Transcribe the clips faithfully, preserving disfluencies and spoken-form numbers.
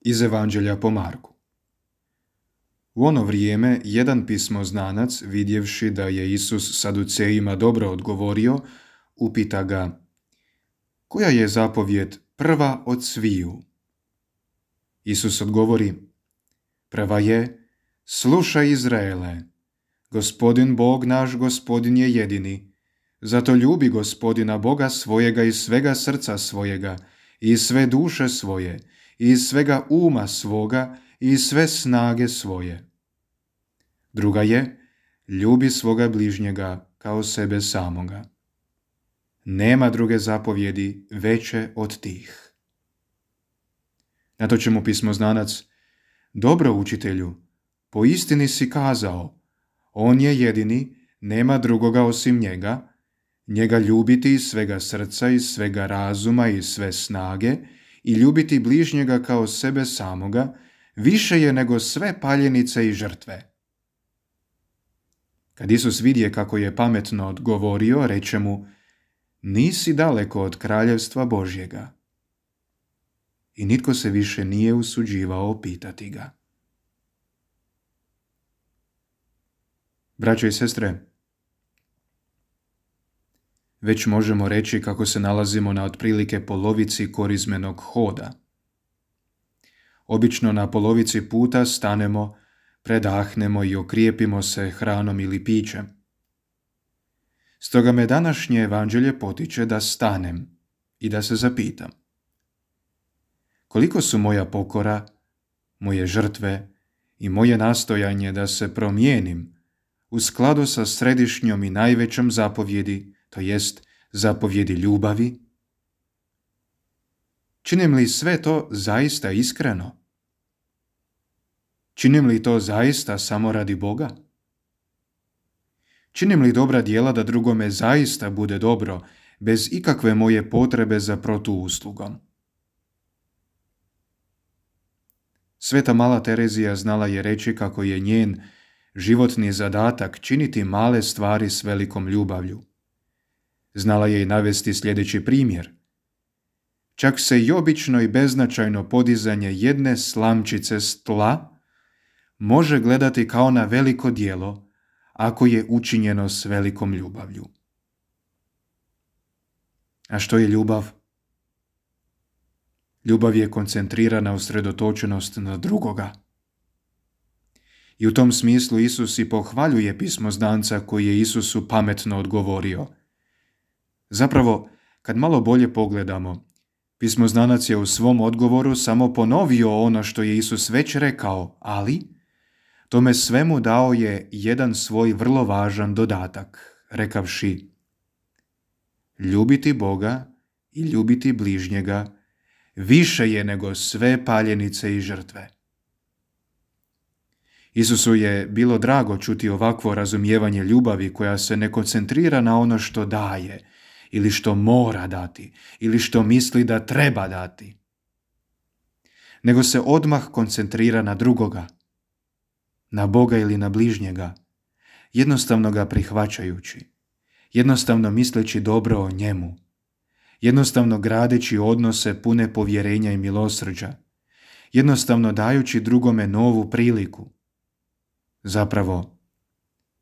Iz Evanđelja po Marku. U ono vrijeme jedan pismoznanac, vidjevši da je Isus Saducejima dobro odgovorio, upita ga: koja je zapovijed prva od sviju? Isus odgovori: prva je: slušaj Izraele, Gospodin Bog naš, Gospodin je jedini. Zato ljubi Gospodina Boga svojega iz svega srca svojega, i iz sve duše svoje, i iz svega uma svoga, i iz sve snage svoje. Druga je: ljubi svoga bližnjega kao sebe samoga. Nema druge zapovjedi veće od tih. Na to će mu pismoznanac: dobro, učitelju, po istini si kazao, on je jedini, nema drugoga osim njega, njega ljubiti iz svega srca, iz svega razuma i sve snage, i ljubiti bližnjega kao sebe samoga, više je nego sve paljenice i žrtve. Kad Isus vidje kako je pametno odgovorio, reče mu: nisi daleko od kraljevstva Božjega. I nitko se više nije usuđivao pitati ga. Braćo i sestre, već možemo reći kako se nalazimo na otprilike polovici korizmenog hoda. Obično na polovici puta stanemo, predahnemo i okrijepimo se hranom ili pićem. Stoga me današnje evanđelje potiče da stanem i da se zapitam: koliko su moja pokora, moje žrtve i moje nastojanje da se promijenim u skladu sa središnjom i najvećom zapovjedi, to jest zapovjedi ljubavi? Činim li sve to zaista iskreno? Činim li to zaista samo radi Boga? Činim li dobra djela da drugome zaista bude dobro, bez ikakve moje potrebe za protuuslugom? Sveta Mala Terezija znala je reći kako je njen životni zadatak činiti male stvari s velikom ljubavlju. Znala je i navesti sljedeći primjer. Čak se i obično i beznačajno podizanje jedne slamčice s tla može gledati kao na veliko djelo ako je učinjeno s velikom ljubavlju. A što je ljubav? Ljubav je koncentrirana usredotočenost na drugoga. I u tom smislu Isus i pohvaljuje pismoznanca koji je Isusu pametno odgovorio. Zapravo, kad malo bolje pogledamo, pismoznanac je u svom odgovoru samo ponovio ono što je Isus već rekao, ali tome svemu dao je jedan svoj vrlo važan dodatak, rekavši: ljubiti Boga i ljubiti bližnjega više je nego sve paljenice i žrtve. Isusu je bilo drago čuti ovakvo razumijevanje ljubavi koja se ne koncentrira na ono što daje, ili što mora dati, ili što misli da treba dati, nego se odmah koncentrira na drugoga, na Boga ili na bližnjega, jednostavno ga prihvaćajući, jednostavno misleći dobro o njemu, jednostavno gradeći odnose pune povjerenja i milosrđa, jednostavno dajući drugome novu priliku. Zapravo,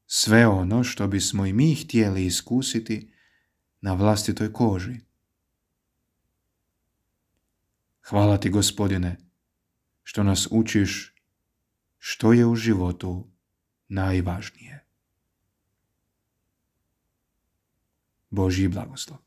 sve ono što bismo i mi htjeli iskusiti na vlastitoj koži. Hvala ti, Gospodine, što nas učiš što je u životu najvažnije. Božji blagoslov.